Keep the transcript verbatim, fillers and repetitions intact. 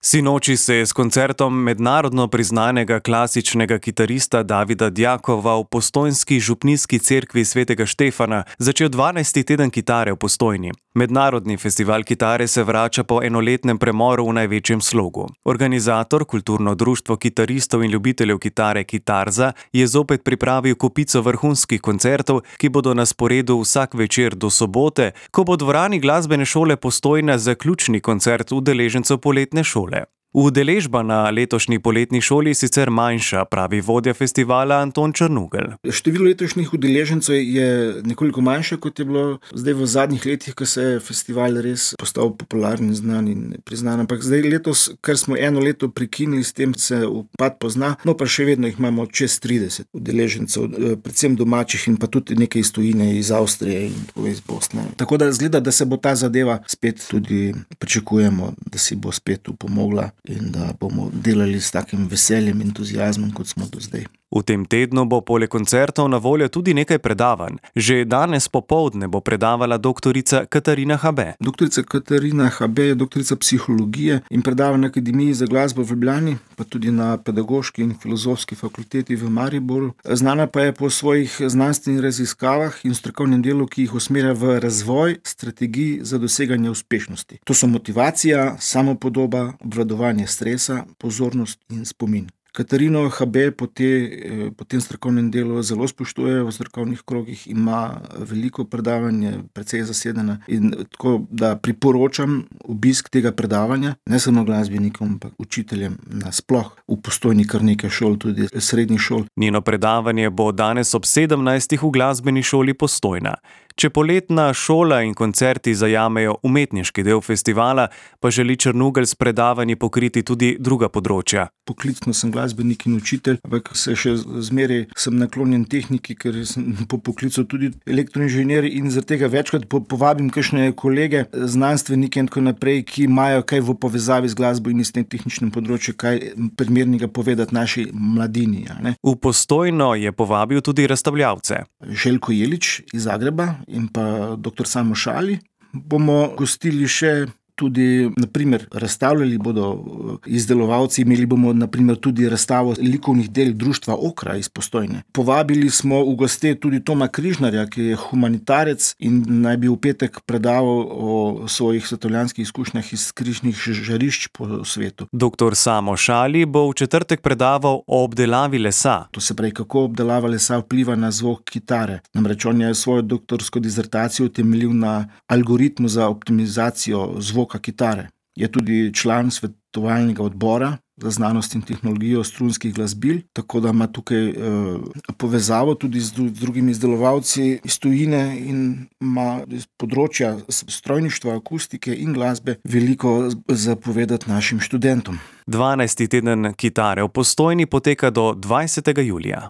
Sinoči se je s koncertom mednarodno priznanega klasičnega kitarista Davida Djakova v postojnski župnijski cerkvi svetega Štefana začel dvanajsti teden kitare v Postojni. Mednarodni festival kitare se vrača po enoletnem premoru v največjem slogu. Organizator, kulturno društvo kitaristov in ljubiteljev kitare Kitarza, je zopet pripravil kopico vrhunskih koncertov, ki bodo na sporedu vsak večer do sobote, ko bo v dvorani glasbene šole Postojna zaključni koncert udeležencev poletne šole. Udeležba na letošnji poletni šoli je sicer manjša, pravi vodja festivala Anton Črnugelj. Število letošnjih udeležencev je nekoliko manjše, kot je bilo zdaj v zadnjih letih, ko se je festival res postal popularen, znan in priznan. Ampak zdaj letos, ker smo eno leto prekinili, s tem se upad pozna, no pa še vedno jih imamo čez trideset udeležencev, predvsem domačih in pa tudi nekaj iz tujine, iz Avstrije in tako iz Bosne. Tako da zgleda, da se bo ta zadeva spet tudi pričakujemo, da si bo spet upomogla in da bomo delali s takim veseljem in entuziazmom, kot smo do zdaj. V tem tednu bo poleg koncertov na voljo tudi nekaj predavanj. Že danes popoldne bo predavala doktorica Katarina Habe. Doktorica Katarina Habe je doktorica psihologije in predava na Akademiji za glasbo v Ljubljani, pa tudi na Pedagoški in Filozofski fakulteti v Mariboru. Znana pa je po svojih znanstvenih raziskavah in strokovnem delu, ki jih usmerja v razvoj strategij za doseganje uspešnosti. To so motivacija, samopodoba, obvladovanje stresa, pozornost in spomin. Katarino Habe po, te, po tem strokovnem delu zelo spoštuje v strokovnih krogih, ima veliko predavanje, precej zasedena in tako, da priporočam obisk tega predavanja, ne samo glasbenikom, ampak učiteljem nasploh. V Postojni kar nekaj šol, tudi srednjih šol. Njeno predavanje bo danes ob sedemnajstih v glasbeni šoli Postojna. Če poletna šola in koncerti zajamejo umetniški del festivala, pa želi Črnugelj s predavanji pokriti tudi druga področja. Poklicno sem glasbenik in učitelj, ampak se še zmeraj sem naklonjen tehniki, ker sem po poklicu tudi elektroinženir in zaradi tega večkrat povabim kakšne kolege, znanstvenike in tako naprej, ki imajo kaj v povezavi z glasbo in s tem tehničnim področjem, kaj primernega povedati naši mladini. Ne? V Postojno je povabil tudi razstavljavce. Željko Jelič iz Zagreba in pa doktor Samo Šali. Bomo gostili še tudi, naprimer, razstavljali bodo izdelovalci, imeli bomo naprimer tudi razstavo likovnih del društva Okra iz Postojne. Povabili smo v goste tudi Toma Križnarja, ki je humanitarec in naj bi v petek predaval o svojih svetovljanskih izkušnjah iz križnih žarišč po svetu. Doktor Samo Šali bo v četrtek predaval o obdelavi lesa. To se pravi, kako obdelava lesa vpliva na zvok kitare. Namreč on je svojo doktorsko dizertacijo utemeljil na algoritmu za optimizacijo zvoka kitare. Je tudi član svetovalnega odbora za znanost in tehnologijo strunskih glasbil, tako da ima tukaj eh, povezavo tudi z drugimi izdelovalci iz tujine in ima iz področja strojništva, akustike in glasbe veliko zapovedati našim študentom. dvanajsti teden kitare v Postojni poteka do dvajsetega julija.